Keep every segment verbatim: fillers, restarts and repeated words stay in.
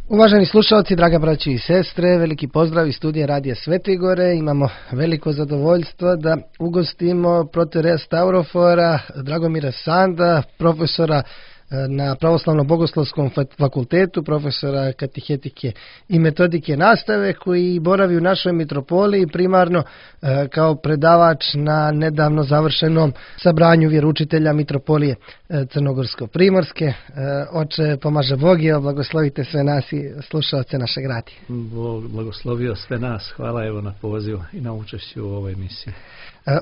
Uvaženi slušalci, draga braći i sestre, veliki pozdrav iz studija Radija Svete Gore. Imamo veliko zadovoljstvo da ugostimo protereja Staurofora, Dragomira Sanda, profesora na Pravoslavno-bogoslovskom fakultetu, profesora katehetike i metodike nastave, koji boravi u našoj mitropoliji primarno kao predavač na nedavno završenom sabranju vjeroučitelja mitropolije Crnogorsko-primorske. Oče, pomaže Bog i blagoslovite sve nas i slušalce našeg radija. Bog blagoslovio sve nas. Hvala evo na pozivu i na učešću u ovoj emisiji.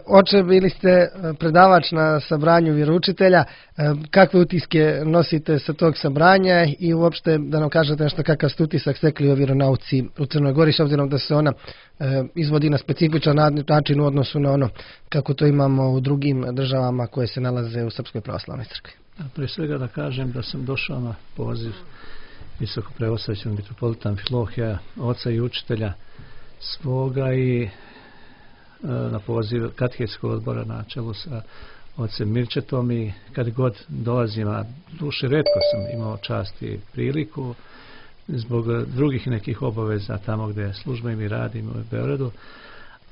Oče, bili ste predavač na sabranju vjeroučitelja. Kakve utiske nosite sa tog sabranja i uopšte da nam kažete nešto kakav ste utisak stekli o vjeronauci u Crnoj Gori, s obzirom da se ona izvodi na specifičan način u odnosu na ono kako to imamo u drugim državama koje se nalaze u Srpskoj pravoslavnoj crkvi. Prije svega da kažem da sam došao na poziv visoko preosvećenog mitropolita Amfilohija, oca i učitelja svoga, i na poziv katehetskog odbora na čelu sa ocem Mirčetom, i kad god dolazim, a duše retko sam imao čast i priliku zbog drugih nekih obaveza tamo gdje službeno i radim u Beogradu,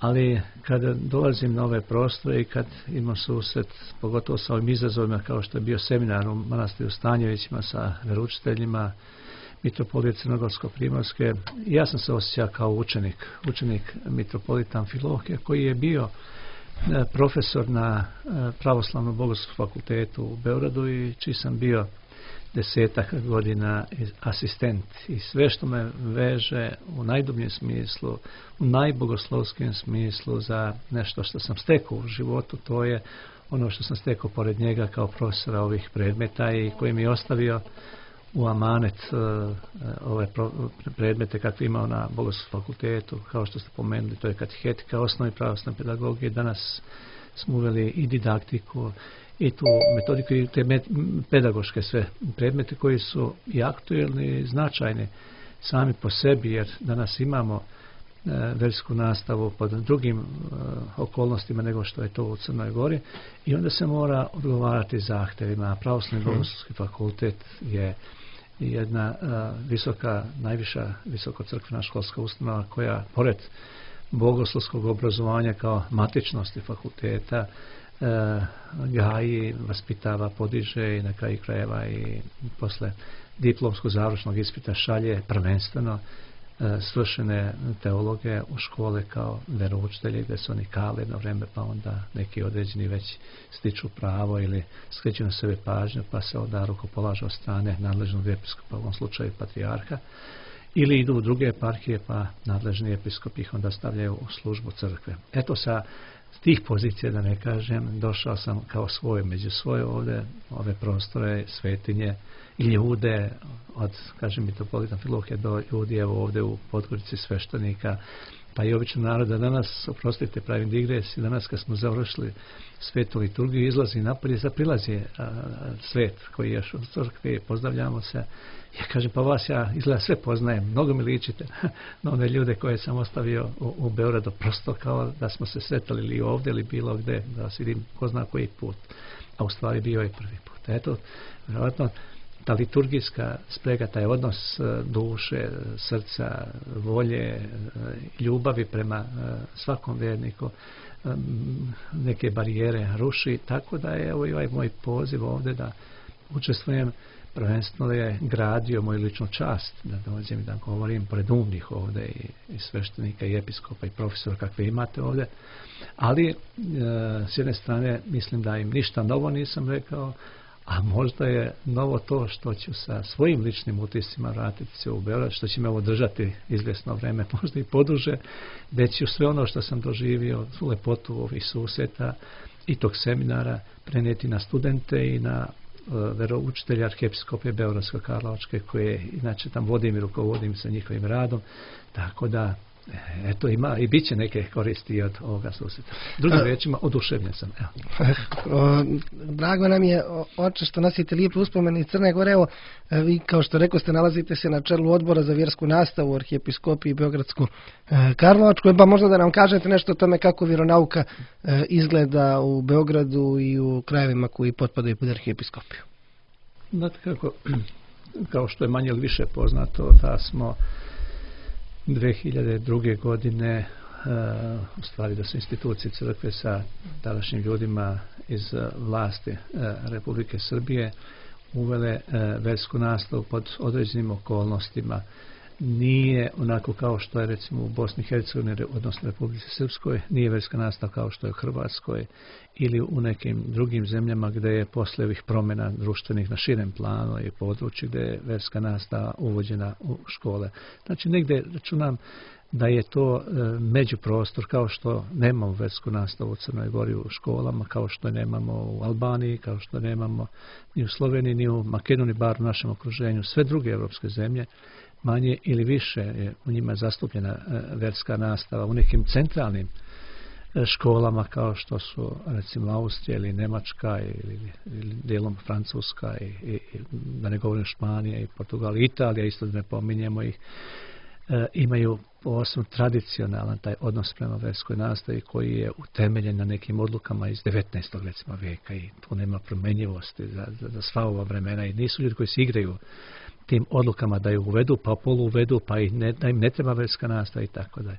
ali kada dolazim na ove prostore i kad imam susret pogotovo sa ovim izazovima kao što je bio seminar u manastiru Stanjevićima sa veroučiteljima mitropolije Crnogorsko-primorske, ja sam se osjećao kao učenik, učenik mitropolita Amfilohija, koji je bio profesor na Pravoslavno-bogoslovskom fakultetu u Beogradu i čiji sam bio desetak godina asistent. I sve što me veže u najdubljem smislu, u najbogoslovskijem smislu za nešto što sam stekao u životu, to je ono što sam stekao pored njega kao profesora ovih predmeta i koji mi je ostavio u amanet uh, ove pro, predmete kakve imao na Bogoslovskom fakultetu, kao što ste pomenuli, to je katehetika, osnovi pravoslavne pedagogije. Danas smo uveli i didaktiku i tu metodiku i te met, pedagoške sve predmete koji su i aktuelni i značajni sami po sebi, jer danas imamo uh, versku nastavu pod drugim uh, okolnostima nego što je to u Crnoj Gori, i onda se mora odgovarati zahtjevima. Pravoslavni bogoslovski fakultet je jedna uh, visoka, najviša visokocrkvena školska ustanova koja pored bogoslovskog obrazovanja kao matičnosti fakulteta uh, gaji, vaspitava, podiže i na kraju krajeva i posle diplomskog završnog ispita šalje prvenstveno uh, svršene teologe u škole kao veroučitelji, gdje su oni kale jedno vreme, pa onda neki određeni već stiču pravo ili skreću na sebe pažnju, pa se onda rukopolažu od strane nadležnog episkopa, u ovom slučaju patrijarha, ili idu u druge eparhije, pa nadležni episkop ih onda stavljaju u službu crkve. Eto, sa tih pozicija, da ne kažem, došao sam kao svoj među svoje ovdje, ove prostore, svetinje i ljude, od, kažem, mitropolita Amfilohija do ljudi evo ovdje u Podgorici, sveštenika, pa i obično naroda. Danas, oprostite, pravim digres, i danas kad smo završili svetu liturgiju, izlazi napolje, zaprilazi a, svet koji je u crkvi, pozdravljamo se. Ja kažem, pa vas ja izgleda sve poznajem, mnogo mi ličite na one ljude koje sam ostavio u, u Beogradu, prosto kao da smo se sretali ili ovdje ili bilo gde, da vas vidim ko zna koji put, a u stvari bio je prvi put. Eto, vjerovatno, ta liturgijska sprega, taj odnos duše, srca, volje, ljubavi prema svakom vjerniku neke barijere ruši, tako da je evo i ovaj moj poziv ovdje da učestvujem. Prvenstveno je gradio moju ličnu čast da dođem i da govorim pored umnih ovdje i, i sveštenika i episkopa i profesora kakve imate ovdje, ali e, s jedne strane mislim da im ništa novo nisam rekao, a možda je novo to što ću sa svojim ličnim utiscima vratiti se u Beograd, što će me ovo držati izvjesno vreme, možda i poduže, da ću sve ono što sam doživio, lepotu ovih susjeta i tog seminara prenijeti na studente i na uh, veroučitelja arhiepiskope Beogradsko-Karlovačke, koje inače tam vodim i rukovodim sa njihovim radom, tako da eto, ima i bit će neke koristi od ovoga susjeta. Drugim riječima, oduševljen sam. Evo. Drago nam je, oče, što nosite lijepe uspomene iz Crne Gore. Evo, vi, kao što rekao ste, nalazite se na čelu odbora za vjersku nastavu u arhiepiskopiji Beogradsku Karlovačku, pa možda da nam kažete nešto o tome kako vjeronauka izgleda u Beogradu i u krajevima koji potpadaju pod arhiepiskopiju. Znate kako, kao što je manje ili više poznato, da smo dvije hiljade druge godine u stvari da su institucije crkve sa tadašnjim ljudima iz vlasti Republike Srbije uvele versku nastavu pod određenim okolnostima. Nije onako kao što je recimo u Bosni i Hercegovini, odnosno Republici Srpskoj, nije verska nastava kao što je u Hrvatskoj ili u nekim drugim zemljama gdje je posle ovih promjena društvenih na širem planu i području gdje je verska nastava uvođena u škole. Znači negdje računam da je to e, međuprostor, kao što nemamo versku nastavu u Crnoj Gori u školama, kao što nemamo u Albaniji, kao što nemamo ni u Sloveniji, ni u Makedoniji, bar u našem okruženju. Sve druge evropske zemlje manje ili više je u njima zastupljena e, verska nastava. U nekim centralnim e, školama kao što su recimo Austrija ili Njemačka ili, ili dijelom Francuska i, i, da ne govorim Španija i Portugal i Italija, isto da ne pominjemo ih, e, imaju posebno tradicionalan taj odnos prema verskoj nastavi koji je utemeljen na nekim odlukama iz devetnaestog recimo vijeka i tu nema promenjivosti za, za, za sva ova vremena i nisu ljudi koji se igraju tim odlukama da ju uvedu, pa polu uvedu, pa i ne, da im ne treba verska nastava i tako dalje.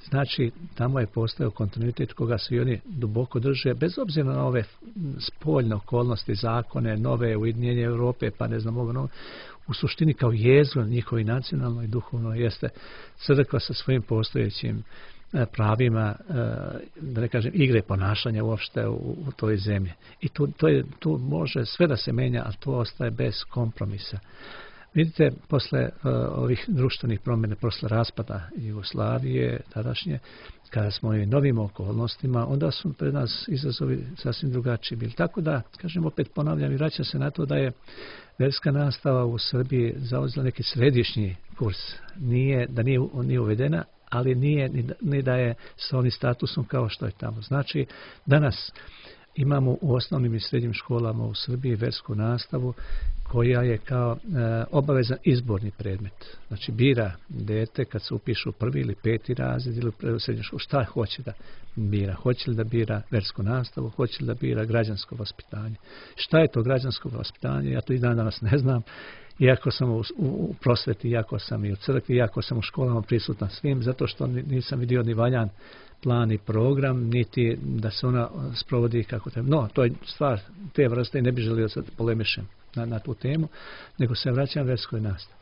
Znači, tamo je postao kontinuitet koga se i oni duboko drže, bez obzira na ove spoljne okolnosti, zakone, nove ujedinjenje Europe, pa ne znam, ovo, u suštini kao jezgro njihovi nacionalno i duhovno jeste crkva sa svojim postojećim pravima, da ne kažem, igre ponašanja uopšte u, u toj zemlji. I tu, to je, tu može sve da se menja, ali to ostaje bez kompromisa. Vidite, posle uh, ovih društvenih promjena, posle raspada Jugoslavije, tadašnje, kada smo i novim okolnostima, onda su pred nas izazovi sasvim drugačiji bili. Tako da, kažem, opet ponavljam i vraćam se na to da je verska nastava u Srbiji zauzela neki središnji kurs. Nije, da nije, nije uvedena, ali nije ni da, ni da je sa onim statusom kao što je tamo. Znači, danas imamo u osnovnim i srednjim školama u Srbiji versku nastavu koja je kao e, obavezan izborni predmet. Znači bira dete kad se upiše u prvi ili peti razred ili u srednju školu, šta hoće da bira. Hoće li da bira versku nastavu, hoće li da bira građansko vaspitanje. Šta je to građansko vaspitanje? Ja to i dan danas ne znam. Iako sam u, u, u prosveti, iako sam i u crkvi, iako sam u školama prisutan svim, zato što nisam vidio ni valjan plan i program, niti da se ona sprovodi kako treba. No, to je stvar te vrste i ne bi želio sad polemišem na, na tu temu, nego se vraćam verskoj nastavi.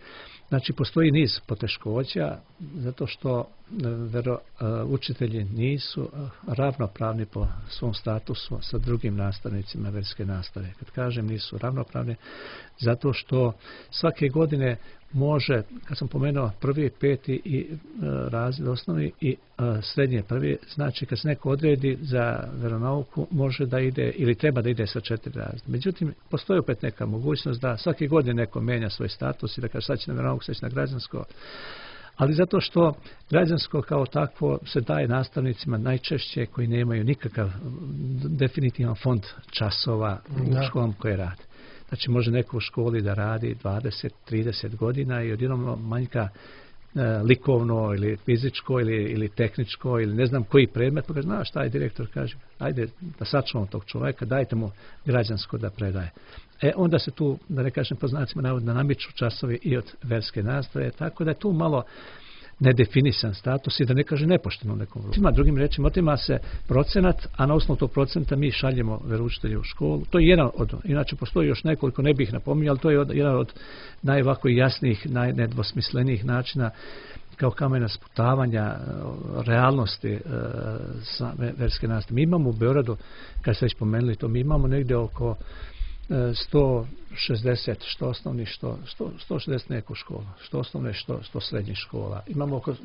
Znači, postoji niz poteškoća, zato što vero, učitelji nisu ravnopravni po svom statusu sa drugim nastavnicima verske nastave. Kad kažem nisu ravnopravni, zato što svake godine može, kad sam pomenuo prvi, peti i e, razred osnovni i e, srednje prvi, znači kad se neko odredi za veronauku, može da ide ili treba da ide sa četiri razreda. Međutim, postoji opet neka mogućnost da svake godine neko menja svoj status i da kaže sad će na veronauku, sad će na građansko. Ali zato što građansko kao takvo se daje nastavnicima najčešće koji nemaju nikakav definitivan fond časova u školom koje rade. Znači može neko u školi da radi dvadeset trideset godina i odjednom manjka e, likovno ili fizičko ili, ili tehničko ili ne znam koji predmet, pa kaže, znaš šta je direktor, kaže, ajde da sačuvamo tog čovjeka, dajte mu građansko da predaje. E onda se tu, da ne kažem po znacima navoda, namiču časovi i od verske nastave, tako da je tu malo nedefinisan status i da ne kaže nepošteno nekom vrstu. Ima drugim rečima, otima se procenat, a na osnovu tog procenta mi šaljemo veroučitelje u školu. To je jedan od, inače postoji još nekoliko, ne bih napominjao, ali to je od, jedan od najvako jasnijih, najnedvosmislenijih načina kao kamena sputavanja realnosti e, verske nastave. Mi imamo u Beogradu, kad ste već pomenuli to, mi imamo negdje oko sto šezdeset što osnovnih, što, sto, sto šezdeset neko škola, što osnovne, što, što srednjih škola. Imamo oko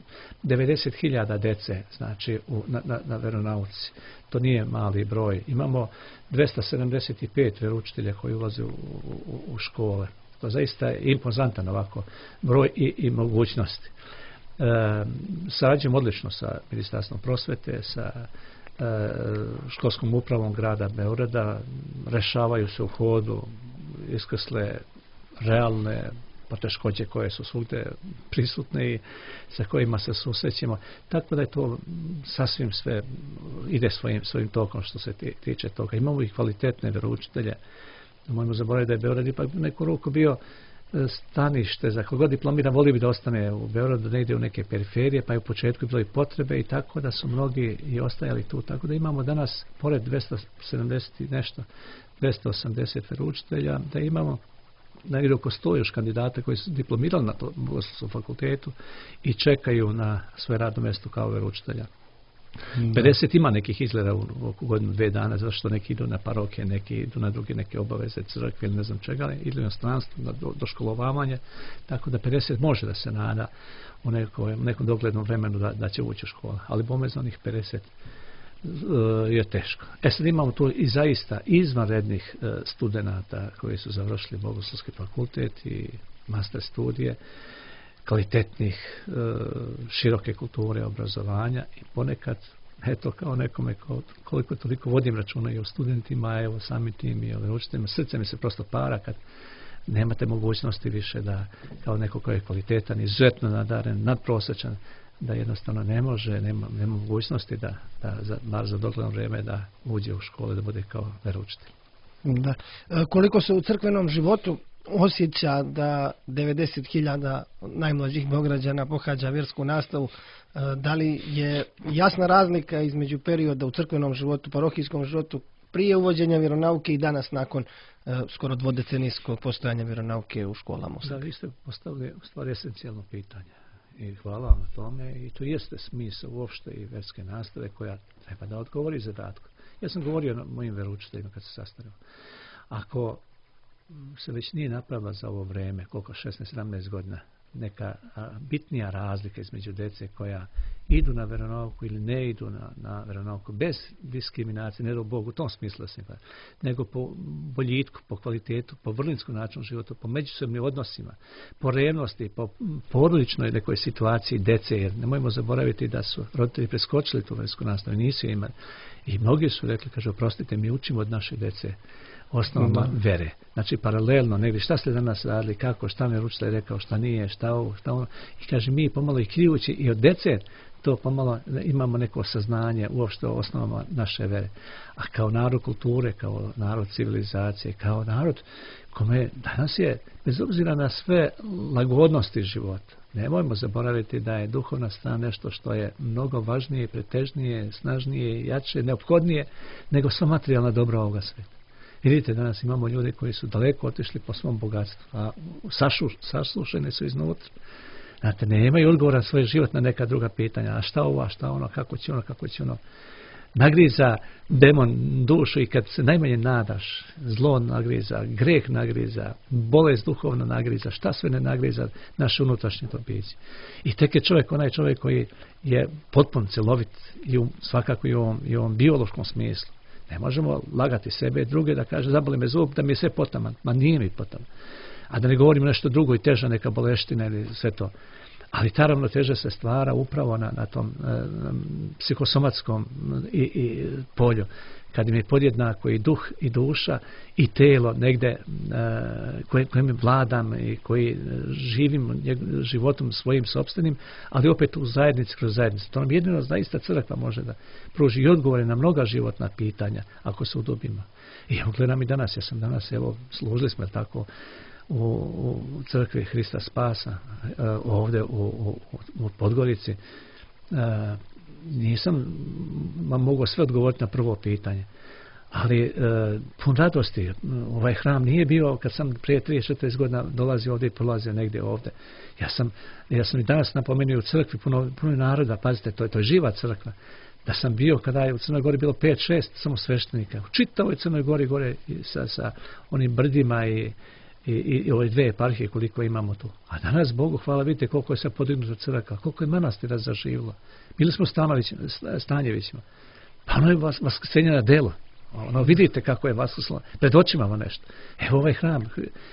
devedeset hiljada dece, znači, u, na, na, na veronauci. To nije mali broj. Imamo dvesta sedamdeset pet veroučitelja koji ulaze u, u, u škole. To zaista je impozantan ovako broj i, i mogućnosti. E, sarađujemo odlično sa Ministarstvom prosvete, sa školskom upravom grada Beograda, rešavaju se u hodu iskrsle realne poteškoće koje su svugde prisutne i sa kojima se susrećemo. Tako da je to sasvim sve ide svojim, svojim tokom što se tiče toga. Imamo i kvalitetne veroučitelje. Mojmo zaboraviti da je Beograd ipak neku ruku bio stanište, za kogod diplomira, volio bi da ostane u Beogradu, da ne ide u neke periferije, pa je u početku bilo i potrebe i tako da su mnogi i ostajali tu. Tako da imamo danas, pored dvesta sedamdeset i nešto, dvesta osamdeset veroučitelja, da imamo negdje oko sto još kandidata koji su diplomirali na Bogoslovskom fakultetu i čekaju na svoje radno mjesto kao veroučitelja. pedeset ima nekih izgleda u oko godinu, dve dana, zato što neki idu na paroke, neki idu na druge neke obaveze crkve ili ne znam čega, ili na stranstvo, na do, doškolovavanje, tako da pedeset može da se nada u nekom, u nekom doglednom vremenu da, da će ući u škola, ali bome za onih pedeset uh, je teško. E sad imamo tu i zaista izvanrednih uh, studenata koji su završili Bogoslovski fakultet i master studije, kvalitetnih, široke kulture, obrazovanja i ponekad, eto kao nekome koliko toliko vodim računa i o studentima, evo samim tim i o veroučiteljima, srce mi se prosto para kad nemate mogućnosti više da kao neko koji je kvalitetan, izuzetno nadaren, nadprosječan, da jednostavno ne može, nema, nema mogućnosti da, da za, bar za dogledno vrijeme da uđe u školu, da bude kao veroučitelj. Da. Koliko se u crkvenom životu osjeća da devedeset hiljada najmlađih Beograđana pohađa vjersku nastavu, da li je jasna razlika između perioda u crkvenom životu, parohijskom životu prije uvođenja vjeronauke i danas nakon uh, skoro dvodecenijskog postojanja vjeronauke u školama? Da, vi ste postavili u stvari esencijalno pitanje i hvala vam na tome i to jeste smisao uopšte i vjerske nastave koja treba da odgovori zadatku. Ja sam govorio na mojim veroučiteljima kad se sastavio. Ako se već nije napravila za ovo vrijeme, koliko šesnaest sedamnaest godina, neka a, bitnija razlika između djece koja idu na vjeronauku ili ne idu na, na vjeronauku bez diskriminacije, ne do Bogu u tom smislu, nego po boljitku, po kvalitetu, po vrlinskom načinu života, po međusobnim odnosima, po revnosti, po porodičnoj nekoj situaciji djece, jer nemojmo zaboraviti da su roditelji preskočili tu vjersku nastavu, nisu imali. I mnogi su rekli, kaže, oprostite, mi učimo od naše djece osnovama vere. Znači, paralelno, negdje, šta ste danas radili, kako, šta mi je učitelj rekao, šta nije, šta ovo, šta ono. I kaže, mi pomalo i krijući i od djece, to pomalo imamo neko saznanje uopšte o osnovama naše vere. A kao narod kulture, kao narod civilizacije, kao narod kome danas je, bez obzira na sve lagodnosti života, nemojmo zaboraviti da je duhovna strana nešto što je mnogo važnije, pretežnije, snažnije, jače, neophodnije nego sva materijalna dobra ovoga sveta. Vidite, danas imamo ljude koji su daleko otišli po svom bogatstvu, a sašu, saslušeni su iznutra. Znate, nemaju odgovora na svoj život na neka druga pitanja. A šta ovo, a šta ono, kako će ono, kako će ono. Nagriza demon dušu i kad se najmanje nadaš, zlo nagriza, greh nagriza, bolest duhovna nagriza, šta sve ne nagriza naše unutrašnje to biće. I tek je čovjek onaj čovjek koji je potpuno celovit i u, svakako i u ovom, i u ovom biološkom smislu. Ne možemo lagati sebe i druge da kaže zaboli me zub da mi je sve potaman. Ma nije mi potaman. A da ne govorimo nešto drugo i teža neka boleština ili sve to. Ali ta ravnoteža se stvara upravo na, na tom e, psihosomatskom i, i polju. Kad im je podjednako i duh i duša i telo negde e, koje, kojim vladam i koji živim životom svojim sopstvenim, ali opet u zajednici kroz zajednicu. To nam jedino zaista crkva može da pruži i odgovore na mnoga životna pitanja ako se udubimo. I evo gledam i danas, ja sam danas, evo, služili smo tako u, u crkvi Hrista Spasa, ovdje u, u, u Podgorici. Nisam vam mogao sve odgovoriti na prvo pitanje, ali e, pun radosti. Ovaj hram nije bio kad sam prije trideset četrdeset godina dolazio ovdje i prolazio negdje ovdje. Ja sam, ja sam i danas napomenuo u crkvi puno, puno naroda, pazite, to je, to je živa crkva. Da sam bio kada je u Crnoj Gori bilo pet šest samo sveštenika. U čitavoj Crnoj Gori gore sa, sa onim brdima i I, i, i ove dve eparhije koliko imamo tu. A danas, Bogu hvala, vidite koliko je sad podignuta crkva, koliko je manastira zaživilo. Bili smo Stanjevićima. Pa ono je vas, vaskrsenje na delo. Ono, vidite kako je vaskrslo. Pred očima vam nešto. Evo ovaj hram,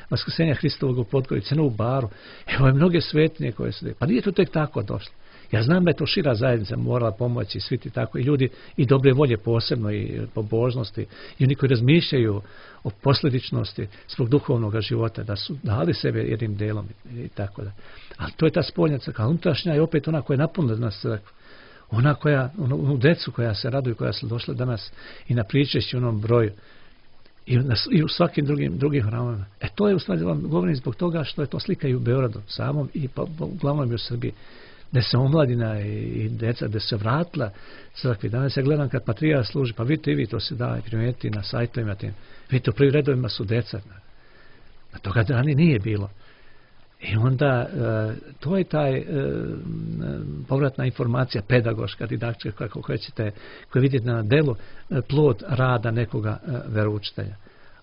vaskrsenja Hristovog u Podgorici, u Baru. Evo je mnoge svetinje koje su... Pa nije to tek tako došlo. Ja znam da je to šira zajednica morala pomoći, svi ti tako, i ljudi i dobre volje posebno, i pobožnosti, i oni koji razmišljaju o posljedičnosti svog duhovnog života, da su dali sebe jednim delom i tako da. Ali to je ta spoljna crkva, unutrašnja je opet ona koja je napunila nas crkvu. Ona koja, onu, onu decu koja se raduju, koja su došla danas i na pričešću onom broju. I, na, i u svakim drugim, drugim hramovima. E to je u stvari, vam govorim zbog toga što je to slika i u Beogradu samom i pa, pa, uglavnom i u Srbiji. Da se omladina i, i deca, da se vratila crkvi. Danas ja gledam kad patrijarh služi, pa vidite i vi to se da primijeti na sajtovima tim. Vidite, u prvim redovima su deca. A toga dani nije bilo. I onda e, to je taj e, povratna informacija, pedagoška, didaktička, kako hoćete, koju vidite na delu, e, plod rada nekoga e, veroučitelja.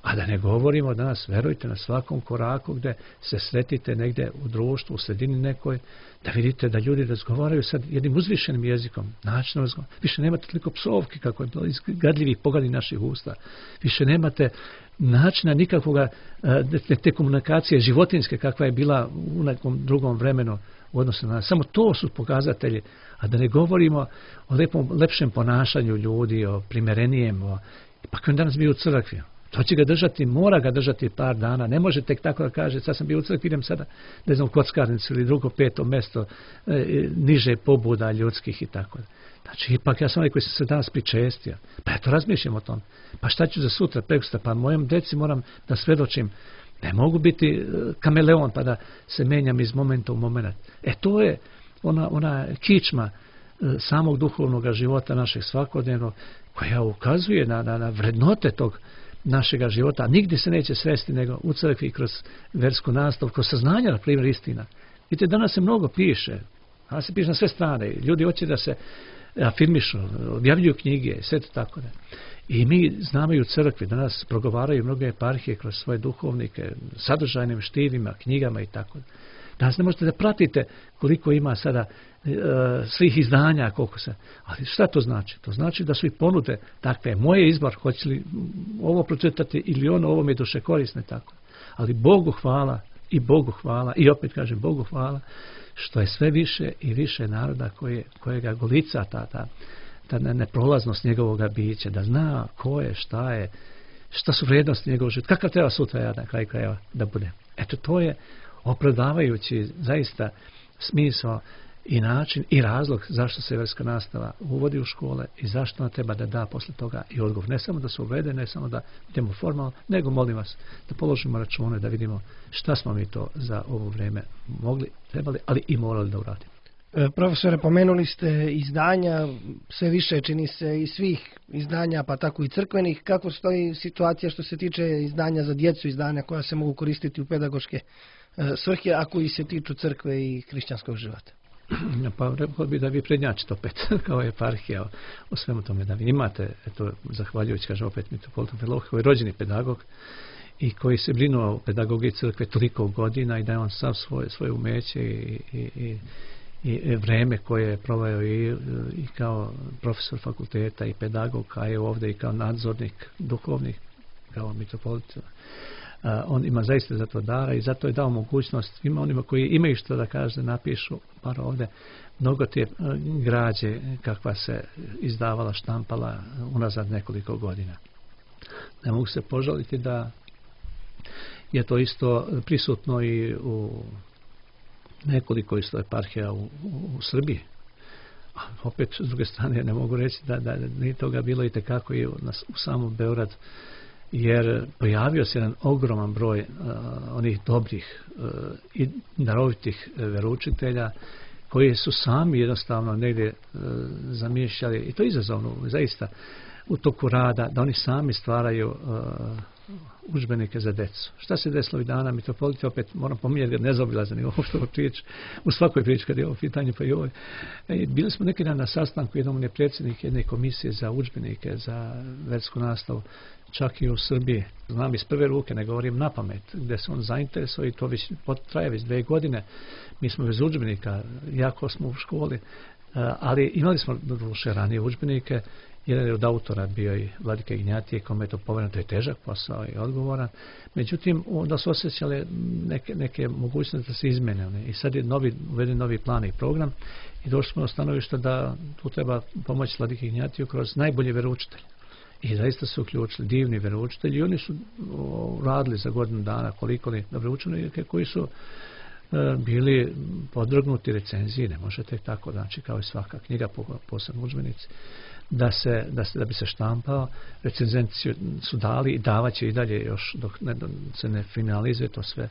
A da ne govorimo danas, verujte, na svakom koraku gdje se sretite negdje u društvu, u sredini nekoj, da vidite da ljudi razgovaraju sad jednim uzvišenim jezikom, načinom razgovara. Više nemate toliko psovki kako je bilo iz gadljivih poglednih naših usta. Više nemate načina nikakvoga te, te komunikacije životinske kakva je bila u nekom drugom vremenu u odnosu na nas. Samo to su pokazatelji, a da ne govorimo o lepom, lepšem ponašanju ljudi, o primerenijem, o, pa koji danas bio u crkvi. To će ga držati, mora ga držati par dana. Ne može tek tako da kaže, sad sam bio u crkvi, idem sada, ne znam, u kockarnicu ili drugo peto mjesto, e, niže pobuda ljudskih i tako. Znači, ipak ja sam onaj koji sam se danas pričestio. Pa ja to razmišljam o tom. Pa šta ću za sutra, prekosutra? Pa mojom deci moram da svedočim. Ne mogu biti kameleon pa da se menjam iz momenta u moment. E to je ona, ona kičma samog duhovnog života našeg svakodnevnog, koja ukazuje na, na, na vrednote tog našega života. Nigdje se neće sresti nego u crkvi kroz versku nastavu, kroz saznanja, na primjer, istina. Vidite, danas se mnogo piše. Danas se piše na sve strane. Ljudi hoće da se afirmišu, objavljuju knjige, sve to tako da. I mi znamo i u crkvi, danas progovaraju mnoge eparhije kroz svoje duhovnike, sadržajnim štivima, knjigama i tako da. Danas ne možete da pratite koliko ima sada e, svih izdanja, koliko se. Ali šta to znači? To znači da su i ponude takve. Moje izbor, hoće li ovo pročitati ili ono, ovo mi je duše korisne, tako. Ali Bogu hvala i Bogu hvala i opet kažem Bogu hvala što je sve više i više naroda koje, kojega golica ta, ta, ta neprolaznost njegovoga bića, da zna ko je, šta je, šta su vrijednosti njegovog života, kakav treba sutra ja na kraju krajeva da bude. Eto, to je opravdavajući zaista smisao i način i razlog zašto se verska nastava uvodi u škole i zašto ona treba da da posle toga i odgovor. Ne samo da se uvede, ne samo da idemo formalno, nego molim vas da položimo račune, da vidimo šta smo mi to za ovo vrijeme mogli, trebali, ali i morali da uradimo. E, profesore, pomenuli ste izdanja, sve više čini se i svih izdanja, pa tako i crkvenih. Kako stoji situacija što se tiče izdanja za djecu, izdanja koja se mogu koristiti u pedagoške e, svrhe, a koji se tiču crkve i hrišćanskog života? Pa rekao bi da vi prednjačite opet kao eparhija o, o svemu tome, da vi imate, eto, zahvaljujući, kaže opet mitropolitom Filohije, koji je rođeni pedagog i koji se brinuo o pedagogiji crkve toliko godina i da je on sav svoje, svoje umeće i, i, i, i vreme koje je proveo i, i kao profesor fakulteta i pedagog, a je ovdje i kao nadzornik duhovnih, kao mitropolita. Uh, on ima zaista za to dara i zato je dao mogućnost svima onima koji imaju što da kaže, napišu par ovdje mnogo te uh, građe kakva se izdavala, štampala unazad nekoliko godina. Ne mogu se požaliti da je to isto prisutno i u nekoliko isto eparhija u, u, u Srbiji. A opet, s druge strane, ne mogu reći da, da nije toga bilo i tekako i u, na, u samom Beogradu, jer pojavio se jedan ogroman broj uh, onih dobrih uh, i darovitih uh, veroučitelja koji su sami jednostavno negdje uh, zamišljali, i to je izazovno zaista u toku rada, da oni sami stvaraju uh, udžbenike za decu. Šta se desilo i dana mitropolita, opet moram pominjati ga nezaobilazan i ovo što prič, u svakoj priči kad je ovo pitanje pa i ovo. E, bili smo neki dan na sastanku, jednom je predsjednik jedne komisije za udžbenike za versku nastavu, čak i u Srbiji. Znam iz prve ruke, ne govorim na pamet, gdje se on zainteresuje i to već traje već dve godine. Mi smo bez udžbenika, jako smo u školi, ali imali smo doduše ranije udžbenike. Jedan je od autora bio i Vladika Ignjatije, kome je to povereno, to je težak posao i odgovoran. Međutim, onda su osjećale neke, neke mogućnosti da se izmene one. I sad je novi, uveden novi plan i program i došli smo do stanovišta da tu treba pomoći Vladika Ignjatiju kroz najbolje veroučitelje. I zaista su uključili divni veroučitelji i oni su o, radili za godinu dana koliko li dobre učenike koji su e, bili podvrgnuti recenziji, ne možete tako, znači kao i svaka knjiga, posebno udžbenici. da, se, da, se, da bi se štampao. Recenzenti su dali i davaće i dalje još dok ne, se ne finalizuje to sve,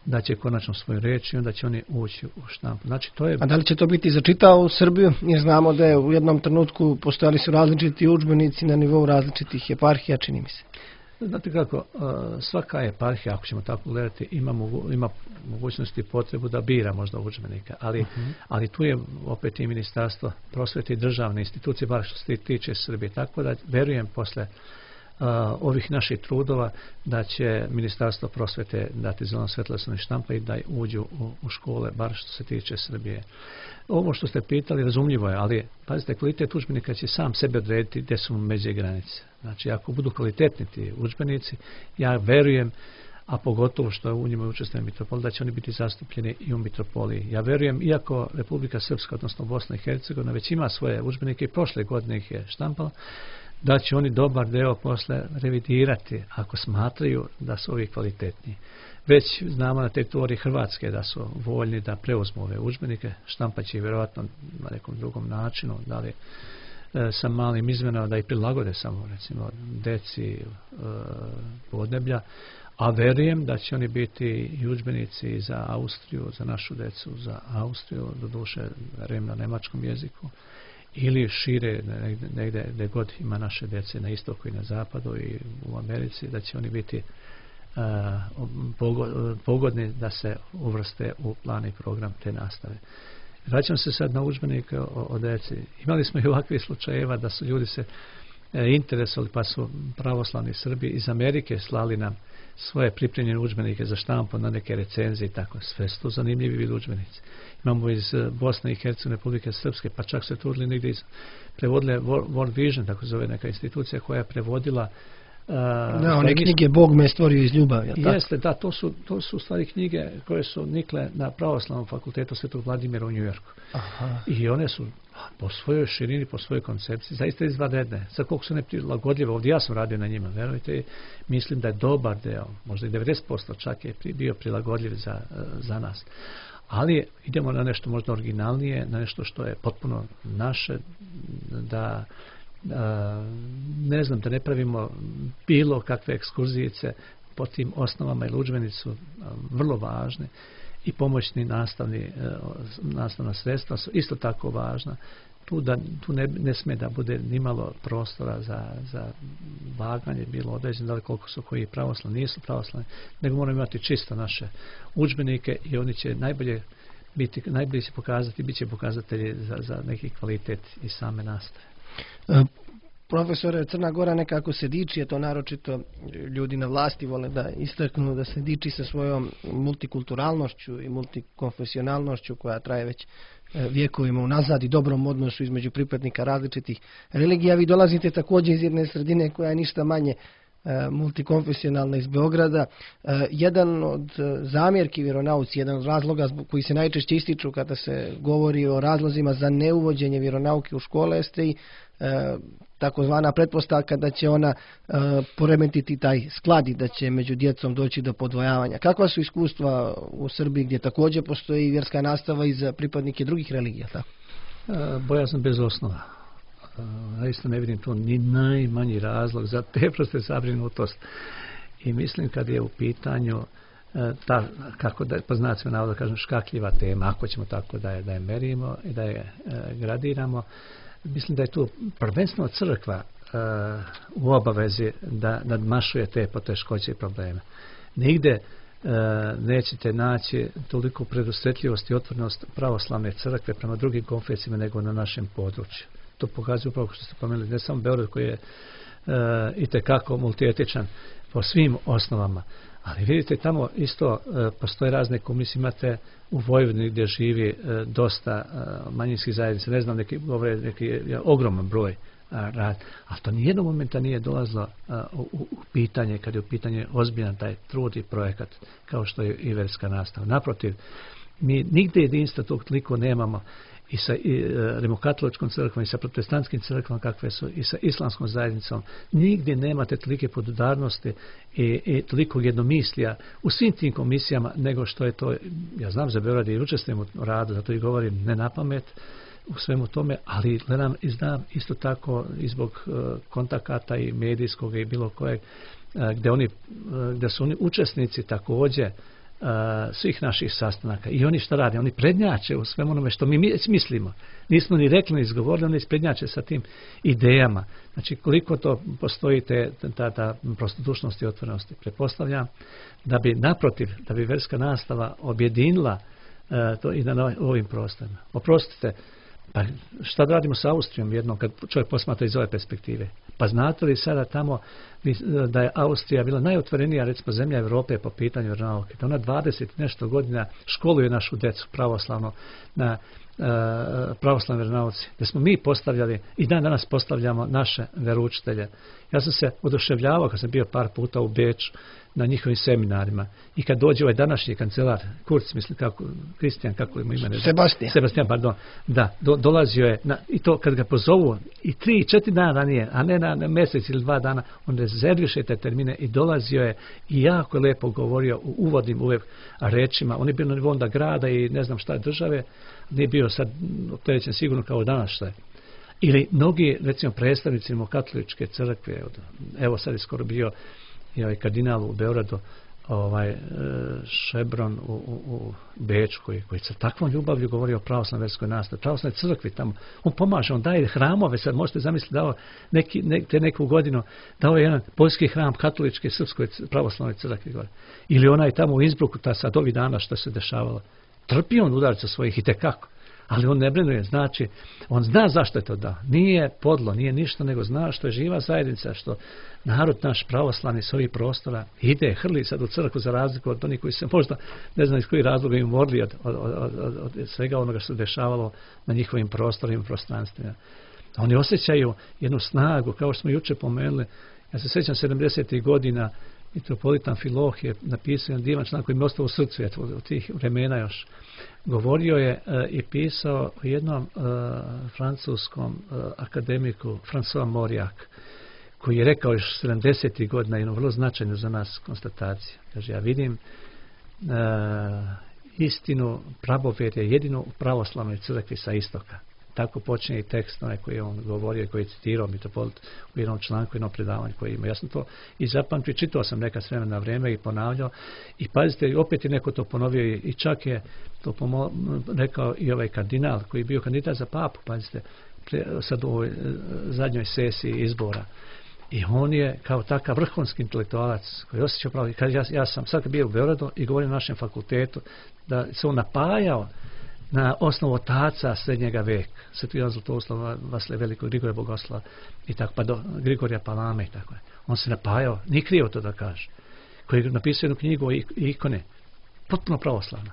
da će konačno svoju reč i onda će oni ući u štampu. Znači, to je... A da li će to biti začitao u Srbiju? Jer znamo da je u jednom trenutku postojali su različiti udžbenici na nivou različitih eparhija, čini mi se. Znate kako, svaka eparhija, ako ćemo tako gledati, ima, mogu, ima mogućnosti i potrebu da bira možda udžbenika, ali, uh-huh. ali tu je opet i ministarstvo prosvete i državne institucije, bar što se tiče Srbije. Tako da verujem posle uh, ovih naših trudova da će ministarstvo prosvete dati zeleno svetlo da se ne štampa i da uđu u, u škole, bar što se tiče Srbije. Ovo što ste pitali razumljivo je, ali pazite, kvalitet udžbenika će sam sebe odrediti gdje su međe granice. Znači, ako budu kvalitetni ti udžbenici, ja verujem, a pogotovo što u njima učestvuje Mitropolija, da će oni biti zastupljeni i u Mitropoliji. Ja verujem, iako Republika Srpska, odnosno Bosna i Hercegovina, već ima svoje udžbenike i prošle godine ih je štampala, da će oni dobar deo posle revidirati ako smatraju da su ovi kvalitetni. Već znamo na teritoriji Hrvatske da su voljni da preuzmu ove udžbenike, štampat će ih vjerojatno na nekom drugom načinu, da li e, sa malim izmenama da ih prilagode samo recimo deci e, podneblja, a verujem da će oni biti i udžbenici za Austriju, za našu decu, za Austriju, doduše rem na nemačkom jeziku, ili šire negdje, negdje gdje god ima naše dece na istoku i na zapadu i u Americi, da će oni biti uh, pogodni da se uvrste u plan i program te nastave. Vraćam se sad na udžbenike o, o deci. Imali smo i ovakvih slučajeva da su ljudi se e, interesovali, pa su pravoslavni Srbi iz Amerike slali nam svoje pripremljene udžbenike za štampu na neke recenzije i tako. Sve su to zanimljivi vid udžbenici. Imamo iz Bosne i Hercegovine, Republike Srpske, pa čak se trudili negdje iz, prevodile World Vision, tako zove neka institucija koja je prevodila Uh, da, one knjige Bog me stvorio iz ljubavi. Jeste, da, to su, to su stvari knjige koje su nikle na pravoslavnom fakultetu Svetog Vladimira u Njujorku. Aha. I one su po svojoj širini, po svojoj koncepciji, zaista izvanredne. Sad koliko su neprilagodljive, ovdje ja sam radio na njima, verujte, mislim da je dobar deo, možda i devedeset posto čak je bio prilagodljiv za, za nas. Ali idemo na nešto možda originalnije, na nešto što je potpuno naše, da Uh, ne znam, da ne pravimo bilo kakve ekskurzijice po tim osnovama, jer udžbenici su uh, vrlo važni i pomoćni nastavni, uh, nastavna sredstva su isto tako važna. Tu, da, tu ne, ne sme da bude nimalo prostora za, za vaganje, bilo određeno da li koliko su koji pravoslavni, nisu pravoslavni, nego moramo imati čisto naše udžbenike i oni će najbolje biti, najbolje će pokazati, bit će pokazatelji za, za neki kvalitet i same nastave. E, profesore, Crna Gora nekako se diči, je to naročito ljudi na vlasti vole da istaknu da se diči sa svojom multikulturalnošću i multikonfesionalnošću koja traje već vjekovima unazad i dobrom odnosu između pripadnika različitih religija. Vi dolazite također iz jedne sredine koja je ništa manje multikonfesionalna iz Beograda. Jedan od zamjerki vjeronauci, jedan od razloga koji se najčešće ističu kada se govori o razlozima za neuvođenje vjeronauke u škole jeste i takozvana pretpostavka da će ona poremetiti taj sklad i da će među djecom doći do podvojavanja. Kakva su iskustva u Srbiji gdje također postoji vjerska nastava i za pripadnike drugih religija? Tako? Bojazan bez osnova. Ja isto ne vidim tu ni najmanji razlog za te proste zabrinutost. I mislim kad je u pitanju ta, kako da po znacima navoda kažem, škakljiva tema, ako ćemo tako da je, da je merimo i da je e, gradiramo, mislim da je tu prvenstveno crkva e, u obavezi da nadmašuje te poteškoće i probleme. Nigde e, nećete naći toliko predusretljivost i otvorenost pravoslavne crkve prema drugim konfesijama nego na našem području. To pokazuje upravo što ste pomenuli, ne samo Beograd koji je e, itekako multietičan po svim osnovama, ali vidite tamo isto e, postoje razne komisije, imate u Vojvodini gdje živi e, dosta e, manjinskih zajednica, ne znam, neki govore neki je, ogroman broj a, rad, ali to nijednog momenta nije dolazilo a, u, u pitanje, kad je u pitanje ozbiljan taj trud i projekat kao što je i verska nastava. Naprotiv, mi nigde jedinstva tog toliko nemamo i sa i, e, rimokatoličkom crkvom i sa protestantskim crkvom kakve su i sa islamskom zajednicom. Nigdje nemate tolike podudarnosti i, i toliko jednomislija u svim tim komisijama nego što je to, ja znam za Beograd i učestvujem u radu, zato i govorim ne na pamet, u svemu tome, ali gledam i znam isto tako i zbog kontakata i medijskog i bilo kojeg, gdje, oni, gdje su oni učesnici također svih naših sastanaka. I oni što rade? Oni prednjače u svemu onome što mi mislimo. Nismo ni rekli, ni izgovorili, oni prednjače sa tim idejama. Znači, koliko to postoji te, ta, ta prostodušnost i otvorenosti. Pretpostavljam da bi, naprotiv, da bi vjerska nastava objedinila uh, to i na ovim prostorima. Oprostite, pa šta da radimo sa Austrijom jednom kad čovjek posmatra iz ove perspektive? Pa znate li sada tamo da je Austrija bila najotvorenija recimo zemlja Europe po pitanju vjeronauke? Da ona dvadeset nešto godina školuje našu djecu pravoslavno na uh, pravoslavnoj vjeronauci. Da smo mi postavljali i dan danas postavljamo naše vjeroučitelje. Ja sam se oduševljavao kad sam bio par puta u Beču na njihovim seminarima. I kad dođe ovaj današnji kancelar, Kurz, mislim kako, Kristijan, kako ima ime? Sebastian. Sebastian, pardon. Da, do, dolazio je, na, i to kad ga pozovu, i tri, četiri dana ranije, a ne na, na mjesec ili dva dana, on rezerviše te termine i dolazio je i jako lepo govorio u uvodnim uvijek rečima. On je bio na nivou onda grada i ne znam šta države, nije bio sad opterećen sigurno kao danas šta je. Ili mnogi, recimo, predstavnici katoličke crkve, evo sad je skoro bio i ovaj kardinal u Beogradu, ovaj Šebron u, u, u Beču, koji, koji sa takvom ljubavlju govori o pravoslavnoj vjerskoj nastavi, pravoslavnoj crkvi tamo. On pomaže, on daje hramove, sad možete zamisliti, dao neki, ne, te neku godinu, dao je jedan poljski hram katoličke srpskoj pravoslavnoj crkvi. Gore. Ili onaj tamo u Innsbrucku, ta sad ovih dana što se dešavalo. Trpi on udarica svojih i tekako. Ali on ne brinuje, znači, on zna zašto je to da. Nije podlo, nije ništa, nego zna što je živa zajednica, što narod naš pravoslavni s ovih prostora ide, hrli sad u crkvu za razliku od onih koji se možda, ne znam iz kojih razloga im morali od, od, od, od, od svega onoga što se dešavalo na njihovim prostorima i prostranstvima. Oni osjećaju jednu snagu, kao što smo juče pomenuli. Ja se sjećam sedamdesetih godina, mitropolit Amfilohije je napisao jedan divan članak koji mi ostao u srcu od tih vremena još. Govorio je e, i pisao o jednom e, francuskom e, akademiku François Mauriac, koji je rekao još sedamdesetih godina jednu vrlo značajnu za nas konstataciju. Kaže, ja vidim e, istinu pravovjerja jedino u pravoslavnoj crkvi sa istoka. Tako počinje i tekst onaj koji je on govorio i koji je citirao mitropolit u jednom članku, jednom predavanju koji ima. Ja sam to i zapamtio, čitao sam neka s vremena na vrijeme i ponavljao. I pazite, opet je neko to ponovio i čak je to pomo- rekao i ovaj kardinal koji je bio kandidat za papu, pazite, pre, sad u ovoj zadnjoj sesiji izbora. I on je kao takav vrhunski intelektualac koji osjećao pravo. Kad ja, ja sam sad bio u Beogradu i govorim na našem fakultetu da se on napajao na osnovu otaca srednjega veka, Sveti Jovan Zlatoslav, Vasilija Velikog, Grigorija Bogoslava i tako, pa do Grigorija Palame i tako je. On se napajao, nije krivo to da kaže, koji je napisao jednu knjigu o ikone, potpuno pravoslavna.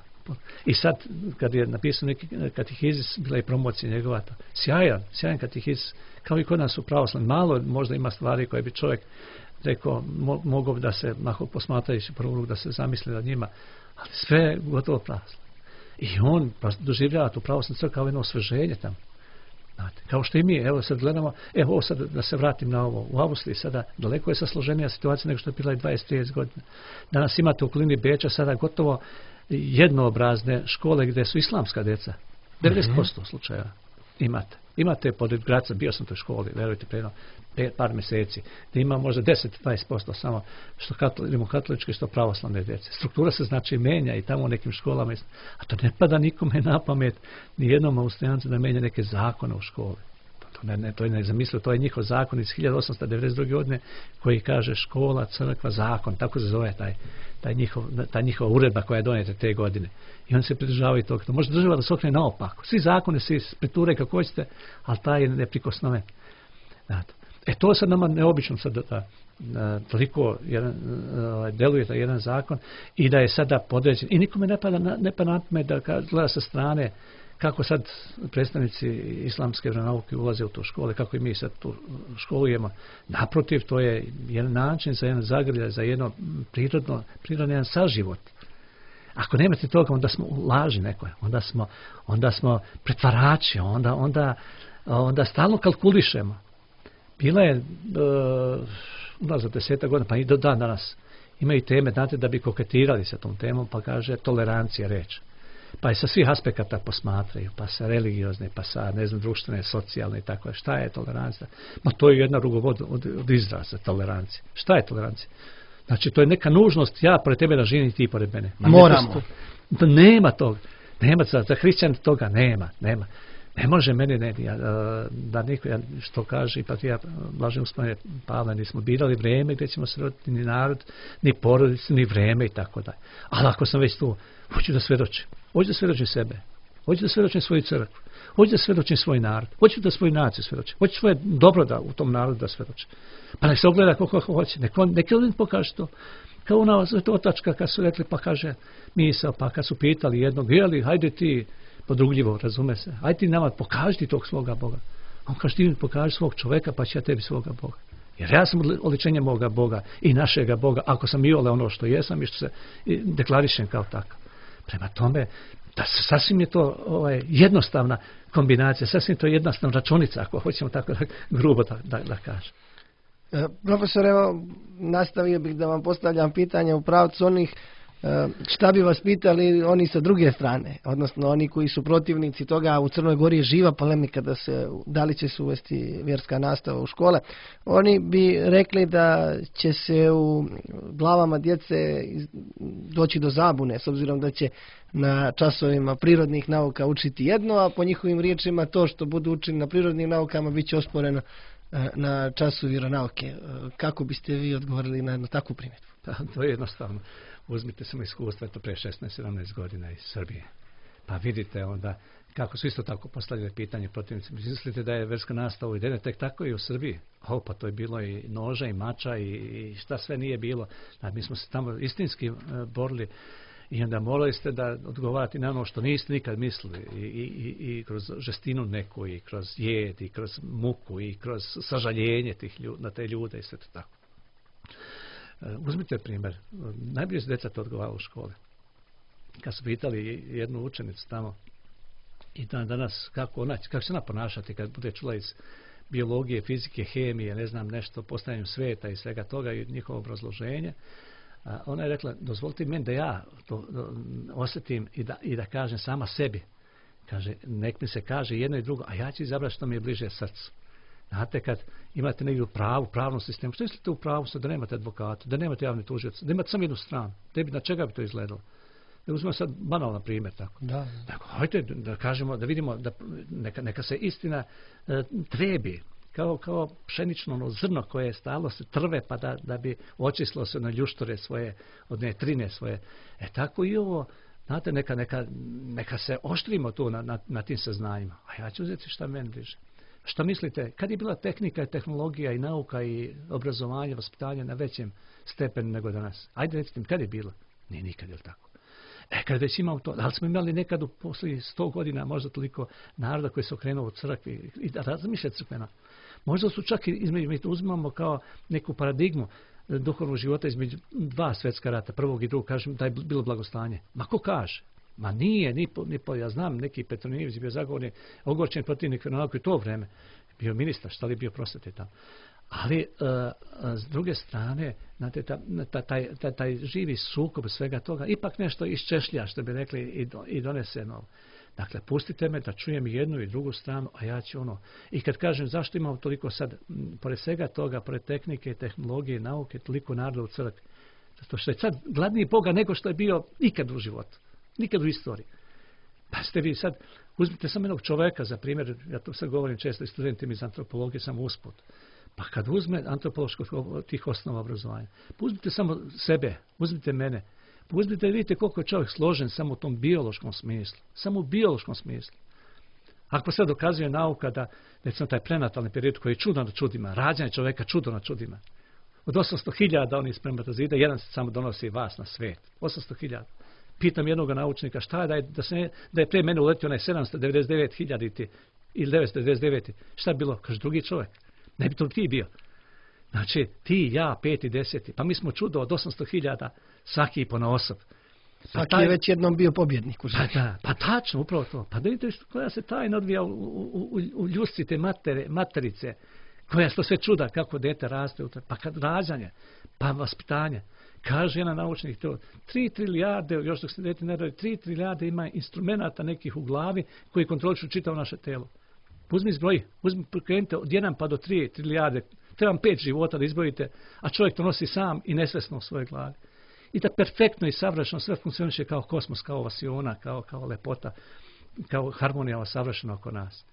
I sad, kad je napisao neki katehizis, bila je promocija njegova, to, sjajan, sjajan katehizis, kao i kod nas u pravoslavni. Malo možda ima stvari koje bi čovjek rekao, mo, mogao da se, mako posmatrajući prvu da se zamisli nad njima, ali sve je gotovo pravoslavno. I on doživljava tu pravoslavnu crkvu kao jedno osveženje tamo. Znate, kao što i mi, evo sad gledamo, evo ovo sad da se vratim na ovo, u Austriji sada daleko je sasloženija situacija nego što je bila i dvadeset do trideset godina. Danas imate u okolini Beča sada gotovo jednoobrazne škole gdje su islamska djeca. devedeset posto slučajeva imate. Imate pored Graca, bio sam u toj školi, verujte, preno par mjeseci, da ima možda deset do dvadeset posto samo što katoli, katoličke, što pravoslavne djece. Struktura se znači menja i tamo u nekim školama, a to ne pada nikome na pamet, ni jednom Austrijancu da menja neke zakone u školi. To, ne, ne, to je ne zamislio, to je njihov zakon iz hiljadu osamsto devedeset druge godine koji kaže škola, crkva, zakon, tako se zove taj, taj, njihov, taj njihova uredba koja je donijeta te godine. I oni se pridržavaju toga. To može država da se okrene naopako. Svi zakone se preture kako hoćete, ali taj je neprikosnoven. Znate. E to sad nama neobično sad da, da, da toliko jedan, uh, deluje da jedan zakon i da je sada podređen. I nikome ne pada na, ne pada na pamet da gleda sa strane kako sad predstavnici islamske vjeronauke ulaze u to škole, kako i mi sad tu školujemo. Naprotiv, to je jedan način za jedan zagrljaj, za jedno prirodno, prirodno jedan saživot. Ako nemate toga, onda smo u laži nekoj, onda smo, onda smo pretvarači, onda, onda, onda stalno kalkulišemo. Bila je uh, unazad desetak godina, pa i do dan danas imaju teme, znate, da bi koketirali sa tom temom, pa kaže tolerancija reč. pa i sa svih aspekata posmatraju, pa sa religiozne, pa sa, ne znam, društvene, socijalne i tako. Šta je tolerancija? Ma to je jedna rugovod od, od izraza tolerancije. Šta je tolerancija? Znači, to je neka nužnost, ja pored tebe da živim i ti pored mene. Ma moramo. To, nema toga. Nema, za, za hrišćan toga nema, nema. Ne može meni, ne, ja, da niko, ja, što kaže, pa ja, blažem uspomene Pavla, nismo birali vreme gdje ćemo se roditi, ni narod, ni porodicu, ni vreme i tako dalje. Ali ako sam već tu, hoću da svedočim. Hoću da svedočim sebe. Hoću da svedočim svoju crkvu. Hoću da svedočim svoj narod. Hoću da svoju naciju svedočim. Hoću svoje dobro da u tom narodu da svedočim. Pa nek se ogleda koliko hoće. Nek on, nek on pokaže to. Kao ona otačka kad su rekli, pa kaže misao, pa kad su pitali jednog, jeli, hajde ti, podrugljivo, razume se, hajde ti nama pokaži ti tog svoga Boga. On kaže, ti mi pokaži svog čoveka, pa će ja tebi svoga Boga. Jer ja sam oličenje moga Boga i našega Boga, ako sam i ole ono što jesam i što se deklarišem kao takav. Prema tome, da sasvim je to ovaj, jednostavna kombinacija, sasvim to jednostavna računica, ako hoćemo tako da, grubo da, da, da kažem. E, profesor, evo, nastavio bih da vam postavljam pitanja u pravcu onih e, šta bi vas pitali oni sa druge strane, odnosno oni koji su protivnici toga. U Crnoj Gori je živa polemika da se, da li će se uvesti vjerska nastava u škole. Oni bi rekli da će se u glavama djece doći do zabune, s obzirom da će na časovima prirodnih nauka učiti jedno, a po njihovim riječima to što budu učili na prirodnim naukama bit će osporeno na času vjeronauke. Kako biste vi odgovorili na, na takvu primjedbu? Pa, to je jednostavno. Uzmite samo iskustva, to pre šesnaest sedamnaest godina iz Srbije. Pa vidite onda kako su isto tako postavljali pitanje protivnici. Mislite da je vjerska nastava uvedena tek tako i u Srbiji? O, pa to je bilo i noža i mača i, i šta sve nije bilo. Da, mi smo se tamo istinski uh, borili. I onda morali ste da odgovarati na ono što niste nikad mislili i, i, i kroz žestinu neku i kroz jed i kroz muku i kroz sažaljenje tih ljudi, na te ljude i sve to tako. Uzmite primjer, najbolje se djeca to odgovaralo u škole. Kad su pitali jednu učenicu tamo i dan danas kako, ona, kako se ona ponašati kad bude čula iz biologije, fizike, hemije, ne znam nešto, postavljanjem sveta i svega toga i njihovo obrazloženje, a ona je rekla, dozvolite meni da ja to do, osjetim i da, i da kažem sama sebi. Kaže, nek mi se kaže jedno i drugo, a ja ću izabrati što mi je bliže srcu. Znate, kad imate negdje u pravu, pravnom sistemu, što mislite u pravu da nemate advokata, da nemate javne tužioce, da imate samo jednu stranu, tebi na čega bi to izgledalo? Da uzmemo sad banalan primjer tako. Da. Dakle, hajde da kažemo, da vidimo, da neka, neka se istina e, trebi. Kao, kao pšenično ono zrno koje stalno se trve pa da, da bi očistilo se na ljuštore svoje, od ne trine svoje. E tako i ovo, znate, neka, neka, neka se oštrimo tu na, na, na tim saznanjima. A ja ću uzeti šta meni bliže. Šta mislite, kad je bila tehnika i tehnologija i nauka i obrazovanje, vaspitanje na većem stepenu nego danas? Ajde recite mi, kad je bilo? Nije nikad, je li tako? E, kad već imamo to, ali smo imali nekad u posljednjih sto godina možda toliko naroda koji se okrenuo u crkvi i da razmišlja crkvena. Možda su čak i između, mi to uzimamo kao neku paradigmu duhovnog života između dva svjetska rata, prvog i drugog, kažem da je bilo blagostanje. Ma ko kaže? Ma nije, ni po, ni po, ja znam, neki Petronijević je bio zagovornik, ogorčen protivnik vjeronauke u to vrijeme, bio ministar, šta li bio prosvete tamo. Ali, uh, s druge strane, znate, ta, ta, taj, ta, taj živi sukob svega toga, ipak nešto iščešlja, što bi rekli, i, do, i donese novo. Dakle, pustite me da čujem jednu i drugu stranu, a ja ću ono. I kad kažem zašto imamo toliko sad, m, pored svega toga, pored tehnike, tehnologije, nauke, toliko naroda u crkvi. Zato što je sad gladniji Boga nego što je bio nikad u životu. Nikad u istoriji. Pa ste vi sad, uzmite samo jednog čoveka, za primjer, ja to sad govorim često i studentima iz antropologije, samo usput. Pa kad uzme antropoloških tih osnova obrazovanja, pa uzmite samo sebe, uzmite mene, pa uzmite i vidite koliko je čovjek složen samo u tom biološkom smislu. Samo u biološkom smislu. Ako sad dokazuje nauka da, recimo, taj prenatalni period koji je čudo na čudima, rađanje čovjeka čudo na čudima. Od osamsto hiljada onih spermatozida, jedan se samo donosi vas na svijet. osamsto hiljada. Pitam jednog naučnika šta je da je, da se, da je pre mene uletio onaj sedamsto devedeset devet hiljada ili devetsto devedeset devet. Šta je bilo? Kaže, drugi čovjek. Ne bi to ti bio. Znači, ti, ja, peti, deseti. Pa mi smo čudo od osamsto hiljada svaki ponaosob. Pa svaki taj, je već jednom bio pobjednik u životu. Pa, da, pa tačno, upravo to. Pa da vidite koja se tajna odvija u, u, u, u ljusci te matere, materice. Koja je to sve čuda kako dete raste. Pa kad rađanje, pa vaspitanje. Kaže jedan naučnik to, tri trilijade, još dok se dete ne rodi, tri trilijade ima instrumenata nekih u glavi koji kontrolišu čitavo naše telo. Uzmi zbroji, uzmi krenite od jedan pa do tri trilijade, trebam pet života da izbrojite, a čovjek to nosi sam i nesvesno u svojoj glavi. I da perfektno i savršeno sve funkcioniše kao kosmos, kao vasiona, kao, kao lepota, kao harmonija savršena oko nas.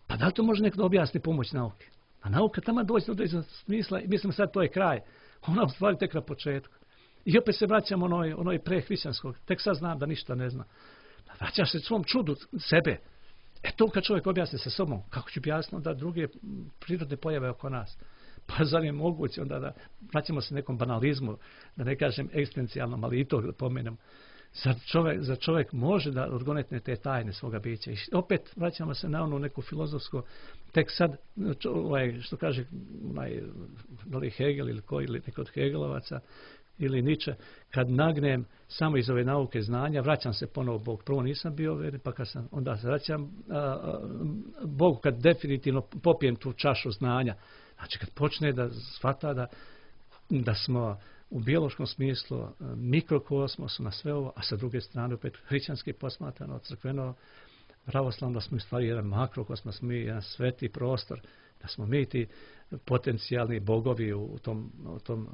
Pa da li to može nekdo objasni pomoć nauke? A nauka tamo dođe do određenog smisla i mislim sad to je kraj. Ona u stvari tek na početku. I opet se vraćamo onoj, onoj prehrišćanskog. Tek sad znam da ništa ne zna. Vraćaš se svom čudu sebe. E to kad čovjek objasni sa sobom, kako ću objasniti da druge prirodne pojave oko nas? Pa zar je moguće onda da vraćamo se nekom banalizmu, da ne kažem egzistencijalnom, ali i to da pomenem. Zar čovjek, zar čovjek može da odgonetne te tajne svoga bića? I opet vraćamo se na onu neku filozofsku, tek sad, ovaj, što kaže onaj, da li Hegel ili koji, ili neko od Hegelovaca, ili Nietzsche, kad nagnem samo iz ove nauke znanja, vraćam se ponovo Bog. Prvo nisam bio veren, pa kad sam, onda se vraćam a, a, Bogu kad definitivno popijem tu čašu znanja. Znači kad počne da shvata da, da smo u biološkom smislu mikrokosmosu na sve ovo, a sa druge strane opet hrišćanski posmatrano, crkveno, pravoslavno, da smo u stvari jedan makrokosmos, mi jedan sveti prostor, da smo mi ti potencijalni bogovi u tom, u tom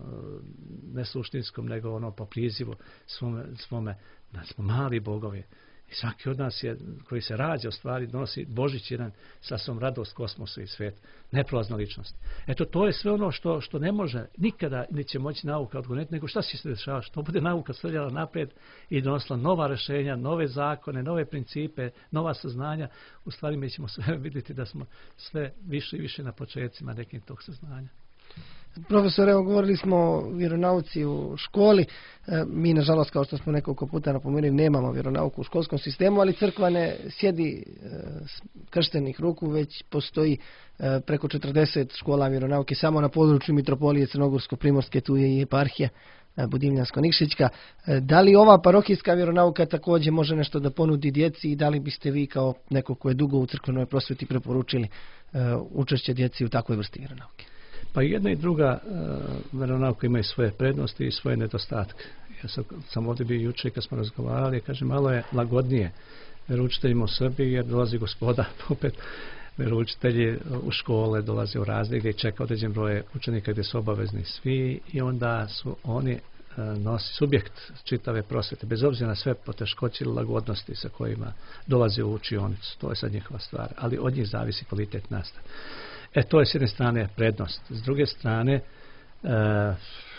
ne suštinskom, nego ono po prizivu svome, svome, da smo mali bogovi. I svaki od nas je, koji se rađa, u stvari nosi Božić jedan sa svom radost kosmosu i svijet. Neprolazna ličnost. Eto, to je sve ono što, što ne može, nikada neće moći nauka odgoneti, nego šta će se dešavati? Što bude nauka svrljala naprijed i donosila nova rješenja, nove zakone, nove principe, nova saznanja. U stvari mi ćemo sve vidjeti da smo sve više i više na početcima nekim tog saznanja. Profesor, evo govorili smo o vjeronauci u školi. E, mi, nažalost, kao što smo nekoliko puta napomenuli, nemamo vjeronauku u školskom sistemu, ali crkva ne sjedi e, krštenih ruku, već postoji e, preko četrdeset škola vjeronauke samo na području Mitropolije Crnogorsko-Primorske, tu je i eparhija Budimljansko-Nikšićka. E, da li ova parohijska vjeronauka također može nešto da ponudi djeci i da li biste vi kao neko ko je dugo u crkvenoj prosvjeti preporučili e, učešće djeci u takvoj vrsti vjeronauke? Pa jedna i druga uh, vjeronauka imaju svoje prednosti i svoje nedostatke. Ja sam, sam ovdje bio jučer kad smo razgovarali, kažem, malo je lagodnije vjeroučiteljima u Srbiji jer dolazi Gospoda, opet vjeroučitelji u škole dolaze u razred gdje čeka određen broj učenika gdje su obavezni svi i onda su oni uh, nosi subjekt čitave prosvete, bez obzira na sve poteškoće ili lagodnosti sa kojima dolaze u učionicu. To je sad njihova stvar, ali od njih zavisi kvalitet nastave. E, to je s jedne strane prednost. S druge strane e,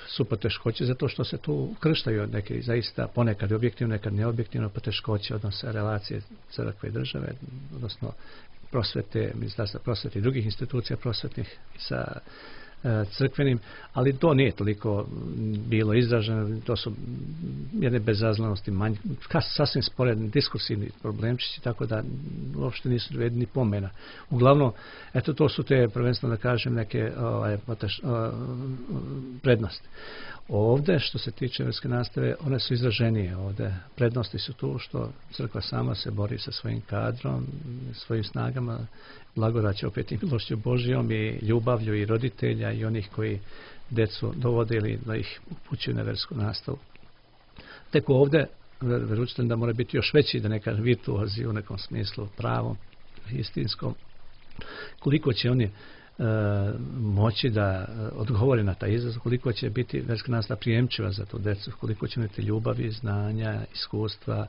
su poteškoće zato što se tu krštaju neke zaista ponekad objektivno, nekad neobjektivno poteškoće odnose relacije crkve i države, odnosno prosvete, ministarstva prosvete i drugih institucija prosvetnih sa e, crkvenim, ali to nije toliko bilo izraženo, to su jedne bezazlenosti, manj, sasvim sporedni diskursivni problemčići, tako da uopšte nisu vrijedni pomena. Uglavnom, eto, to su te, prvenstveno da kažem, neke ovaj, poteš, o, prednosti. Ovdje, što se tiče vjerske nastave, one su izraženije. Ovdje prednosti su tu što crkva sama se bori sa svojim kadrom, svojim snagama, blagodaće opet i milošću Božijom i ljubavlju i roditelja i onih koji djecu dovodili da ih upućuju na vjersku nastavu. Tek ovdje vjeroučitelj da mora biti još veći, da ne kažem virtuozi u nekom smislu pravom, istinskom. Koliko će oni E, moći da odgovori na taj izazov, koliko će biti vjerska nastava prijemčiva za tu djecu, koliko će imati ljubavi, znanja, iskustva,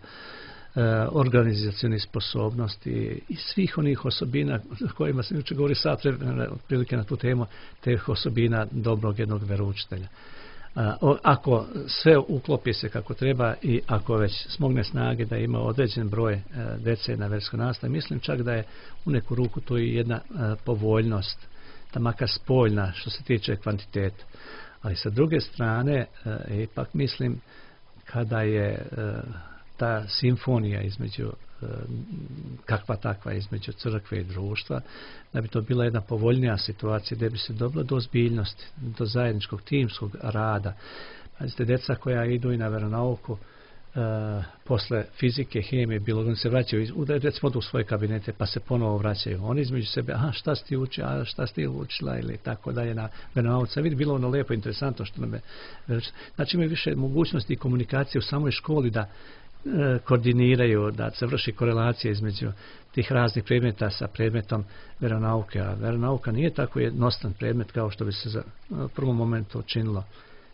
e, organizacione sposobnosti i svih onih osobina kojima se jučer govori sad otprilike na tu temu, teh osobina dobrog jednog vjeroučitelja. Ako sve uklopi se kako treba i ako već smogne snage da ima određen broj djece na vjerskoj nastavi, mislim čak da je u neku ruku to i jedna povoljnost, da makar spoljna što se tiče kvantiteta. Ali sa druge strane, ipak mislim kada je ta simfonija između kakva takva između crkve i društva, da bi to bila jedna povoljnija situacija gdje bi se dobilo do ozbiljnosti, do zajedničkog timskog rada. Pazite, djeca koja idu i na vjeronauku, Uh, posle fizike, hemije, biologije, se vraćaju, recimo u svoje kabinete, pa se ponovo vraćaju. Oni između sebe, aha, šta si ti učila, a šta si ti učila, ili tako dalje na veronauci. Vidi, bilo ono lijepo, interesantno što nam je. Znači, imaju više mogućnosti i komunikacije u samoj školi da uh, koordiniraju, da se vrši korelacija između tih raznih predmeta sa predmetom veronauke. A veronauka nije tako jednostan predmet kao što bi se za uh, prvom momentu činilo.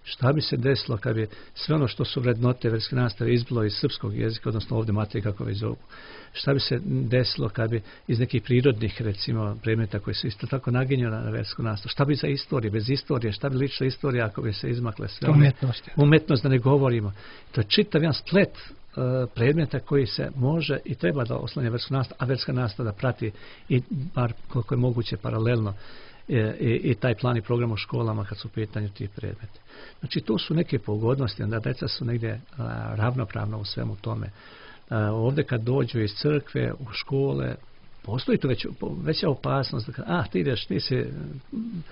Šta bi se desilo kad bi sve ono što su vrednote vjerske nastave izbilo iz srpskog jezika, odnosno ovdje materije kako već zovu. Šta bi se desilo kad bi iz nekih prirodnih, recimo, predmeta koji su isto tako naginjeni na vjersku nastavu. Šta bi za istorije, bez istorije, šta bi ličila istorija ako bi se izmakle sve one. Umetnost. Umetnost, da ne govorimo. To je čitav jedan splet uh, predmeta koji se može i treba da oslanja vjersku nastavu, a vjerska nastava da prati i bar koliko je moguće paralelno I, i, i taj plan i program u školama kad su u pitanju ti predmeti. Znači, to su neke pogodnosti, onda deca su negdje a, ravnopravno u svemu tome. A, ovdje kad dođu iz crkve u škole, postoji tu već, veća opasnost, da a, ti ideš, ti si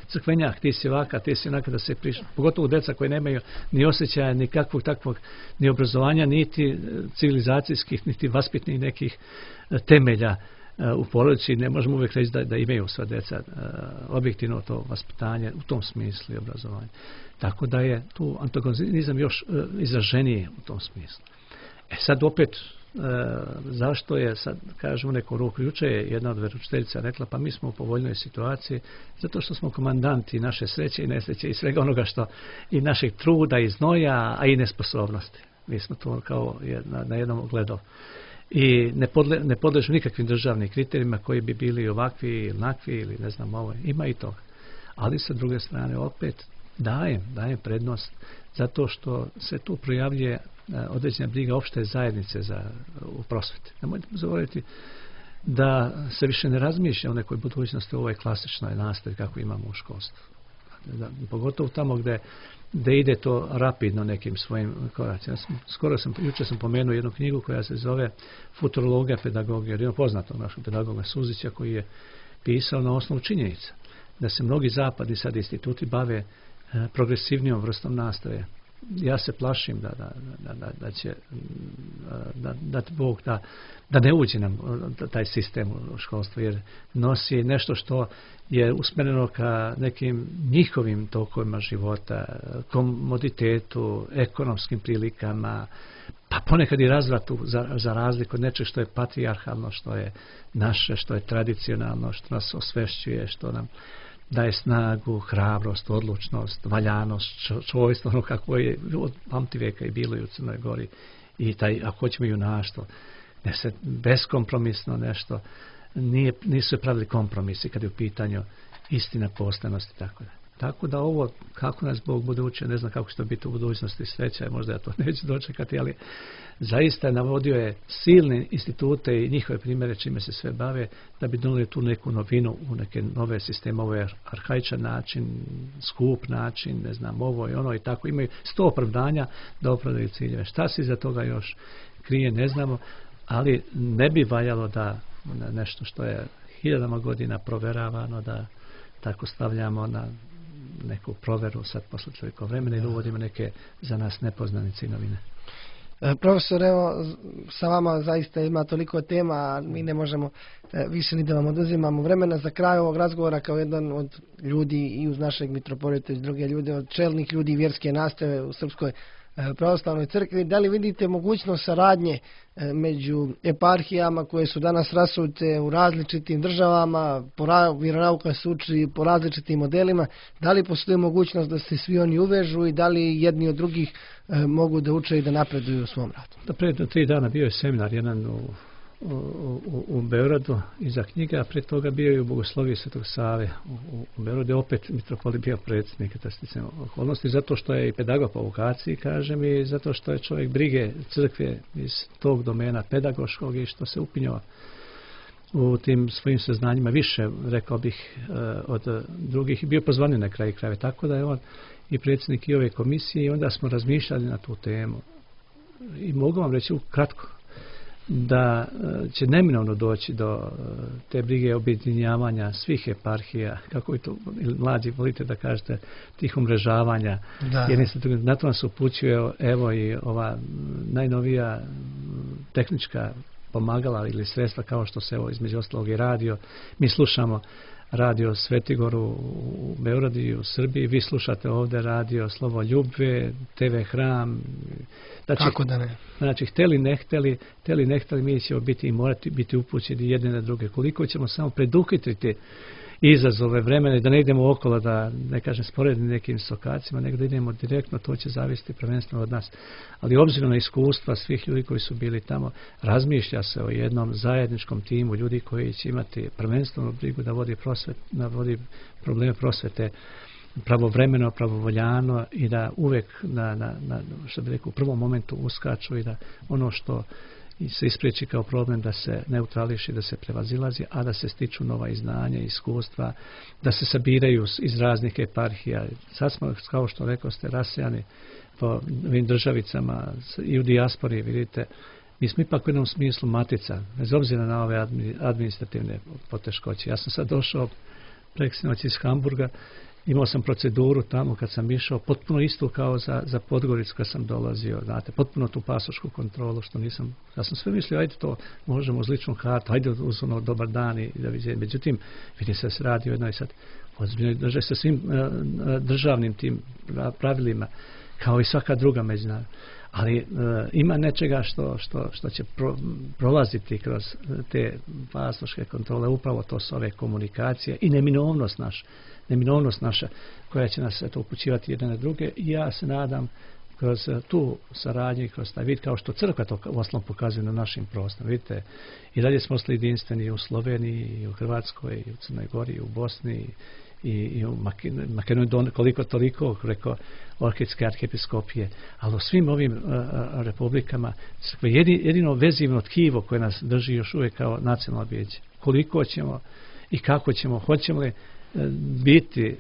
crkvenjak, ti si ovaka, ti si onaka, da se priš... pogotovo deca koji nemaju ni osjećaja, ni kakvog takvog, ni obrazovanja, niti civilizacijskih, niti vaspitnih nekih temelja u porodici. Ne možemo uvijek reći da, da imaju sva djeca uh, objektivno to vaspitanje u tom smislu i obrazovanje. Tako da je tu antagonizam još uh, izraženiji u tom smislu. E sad opet, uh, zašto je, sad kažemo neku ruku, juče je jedna od veroučiteljica rekla, pa mi smo u povoljnoj situaciji zato što smo komandanti naše sreće i nesreće i svega onoga što i našeg truda i znoja, a i nesposobnosti. Mi smo to kao jedna, na jednom ogledalu. I ne, podle, ne podležu nikakvim državnim kriterijima koji bi bili ovakvi ili onakvi ili ne znam ovo. Ima i toga. Ali sa druge strane opet dajem, dajem prednost zato što se tu projavljuje određena briga opšte zajednice za, u prosveti. Nemojte zaboraviti da se više ne razmišlja o nekoj budućnosti u ovoj klasičnoj nastavi kako imamo u školstvu. Da, pogotovo tamo gde da ide to rapidno nekim svojim koracima. Skoro sam, jučer sam pomenuo jednu knjigu koja se zove Futurologija pedagogije, jedno poznatog našeg pedagoga Suzića koji je pisao na osnovu činjenica da se mnogi zapadni sad instituti bave e, progresivnijom vrstom nastave. Ja se plašim da, da, da, da, da će da, da Bog da, da ne uđe nam taj sistem u školstvu, jer nosi nešto što je usmjereno ka nekim njihovim tokovima života, komoditetu, ekonomskim prilikama, pa ponekad i razvratu za, za razliku od nečeg što je patrijarhalno, što je naše, što je tradicionalno, što nas osvešćuje, što nam daje snagu, hrabrost, odlučnost, valjanost, čovjstvo, ono kako je od pamtivijeka i bilo i u Crnoj Gori. I taj, ako hoćemo, junaštvo, ne se beskompromisno nešto, nije, nisu pravili kompromisi kad je u pitanju istina, poštenost i tako da. Tako da ovo, kako nas Bog bude učio, ne znam kako će to biti u budućnosti, sreća, možda ja to neću dočekati, ali zaista navodio je silne institute i njihove primjere čime se sve bave, da bi donijeli tu neku novinu u neke nove sisteme. Ovo je arhaičan način, skup način, ne znam, ovo i ono i tako. Imaju sto opravdanja da opravdaju ciljeve. Šta se iza toga još krije, ne znamo, ali ne bi valjalo da nešto što je hiljadama godina proveravano, da tako stavljamo na neku proveru sad posle čovjekov vremena i uvodimo neke za nas nepoznanice i novine. E, profesor, evo, sa vama zaista ima toliko tema, a mi ne možemo e, više ni da vam oduzimamo vremena. Za kraj ovog razgovora, kao jedan od ljudi i uz našeg mitropolita i druge ljude, od čelnih ljudi vjerske nastave u Srpskoj pravoslavnoj crkvi, da li vidite mogućnost saradnje među eparhijama koje su danas rasute u različitim državama, vjeronauka se uči po različitim modelima, da li postoji mogućnost da se svi oni uvežu i da li jedni od drugih mogu da uče i da napreduju u svom radu? Da, pred tri dana bio je seminar jedan u, u, u, u Beogradu iza knjiga, a pred toga bio je u Bogosloviji Svetog Save u, u, u Beogradu, opet mitropolit bio predsjednik sticajem okolnosti, zato što je i pedagog po vokaciji, kažem, i zato što je čovjek brige crkve iz tog domena pedagoškog i što se upinjava u tim svojim saznanjima više, rekao bih, od drugih, i bio pozvanjen na kraju krajeva, tako da je on i predsjednik i ove komisije, i onda smo razmišljali na tu temu. I mogu vam reći ukratko, da će neminovno doći do te brige objedinjavanja svih eparhija, kako i to mlađi volite da kažete, tih umrežavanja. Da. Jer na to nas upućuje evo i ova najnovija tehnička pomagala ili sredstva kao što se evo između ostalog i radio. Mi slušamo radio Svetigoru u Beogradu i u Srbiji, vi slušate ovdje radio Slovo Ljubve, te ve Hram. Znači, kako da ne? Znači, hteli ne hteli, hteli ne hteli, mi ćemo biti i morati biti upućeni jedne na druge. Koliko ćemo samo preduhitriti izazove vremena i da ne idemo okolo, da ne kažem sporedni nekim sokacima, nego da idemo direktno, to će zavisiti prvenstveno od nas. Ali obzirom na iskustva svih ljudi koji su bili tamo, razmišlja se o jednom zajedničkom timu ljudi koji će imati prvenstvenu brigu da vodi, prosvet, da vodi probleme prosvete pravovremeno, pravovoljano i da uvek na, na, na, što bi rekao, u prvom momentu uskaču i da ono što se ispriječi kao problem da se neutrališi, da se prevazilazi, a da se stiču nova i znanja, iskustva, da se sabiraju iz raznih eparhija. Sad smo, kao što rekao ste, rasejani po ovim državicama i u dijaspori, vidite, mi smo ipak u jednom smislu matica, bez obzira na ove administrativne poteškoće. Ja sam sad došao preksinoć iz Hamburga, imao sam proceduru tamo kad sam išao, potpuno isto kao za, za Podgoricu kad sam dolazio, znate, potpuno tu pasošku kontrolu, što nisam, ja sam sve mislio, ajde to možemo uz ličnu kartu, ajde uz ono dobar dan i da vidite. Međutim, vidi se da se radi o jednoj sad ozbiljnoj državi sa svim uh, državnim tim pravilima, kao i svaka druga međunarodna. Ali uh, ima nečega što, što, što će pro, prolaziti kroz te pasoške kontrole, upravo to su ove komunikacije i neminovnost naša. neminovnost naša koja će nas eto, upućivati jedne na druge i ja se nadam kroz tu saradnju i kroz taj vid kao što crkva to osnovom pokazuje na našim prostorima. Vidite, i dalje smo ostali jedinstveni u Sloveniji, i u Hrvatskoj, i u Crnoj Gori, i u Bosni, i, i u Makedoniji, koliko toliko, preko Ohridske arhijepiskopije, ali u svim ovim uh, republikama jedino, jedino vezivno tkivo koje nas drži još uvijek kao nacionalno biće. Koliko ćemo i kako ćemo, hoćemo li biti e,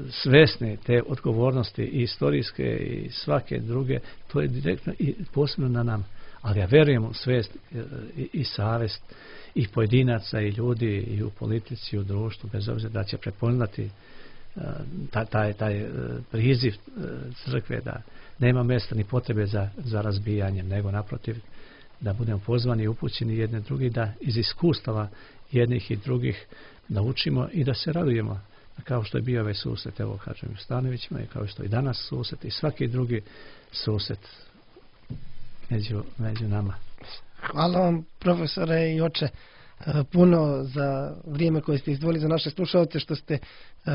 svesni te odgovornosti i istorijske i svake druge, to je direktno i posebno na nam. Ali ja verujem u svest e, i, i savest i pojedinaca i ljudi i u politici i u društvu, bez obzira da će prepoznati e, taj, taj, taj priziv e, crkve da nema mjesta ni potrebe za, za razbijanjem, nego naprotiv da budemo pozvani i upućeni jedne drugi, da iz iskustava jednih i drugih naučimo i da se radujemo, kao što je bio ovaj susret, evo kažem u Stanovićima, i kao što je danas susret i svaki drugi susret među, među nama. Hvala vam, profesore i oče, puno za vrijeme koje ste izdvojili za naše slušalce, što ste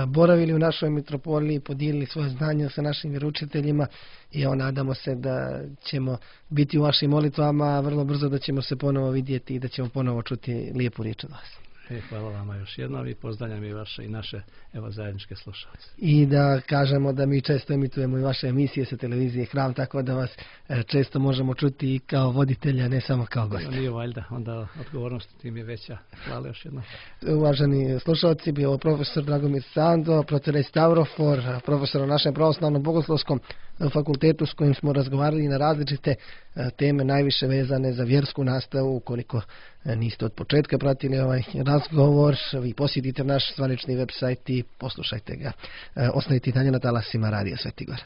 boravili u našoj mitropoliji, podijelili svoje znanje sa našim vjeroučiteljima i evo nadamo se da ćemo biti u vašim molitvama, vrlo brzo da ćemo se ponovo vidjeti i da ćemo ponovo čuti lijepu riječ od vas. E, hvala vama još jednom i pozdravljam i vaše i naše evo zajedničke slušalce. I da kažemo da mi često emitujemo i vaše emisije sa televizije Hram, tako da vas e, često možemo čuti i kao voditelja, ne samo kao gosta. Nije valjda, onda odgovornost tim je veća. Hvala još jednom. Uvaženi slušalci, bio profesor Dragomir Sando, proterej Stavrofor, profesor u našem pravoslavnom bogoslovskom fakultetu s kojim smo razgovarali na različite teme najviše vezane za vjersku nastavu. Ukoliko niste od početka pratili ovaj razgovor, vi posjetite naš zvanični website i poslušajte ga. Ostanite i dalje na talasima Radija Svetigora.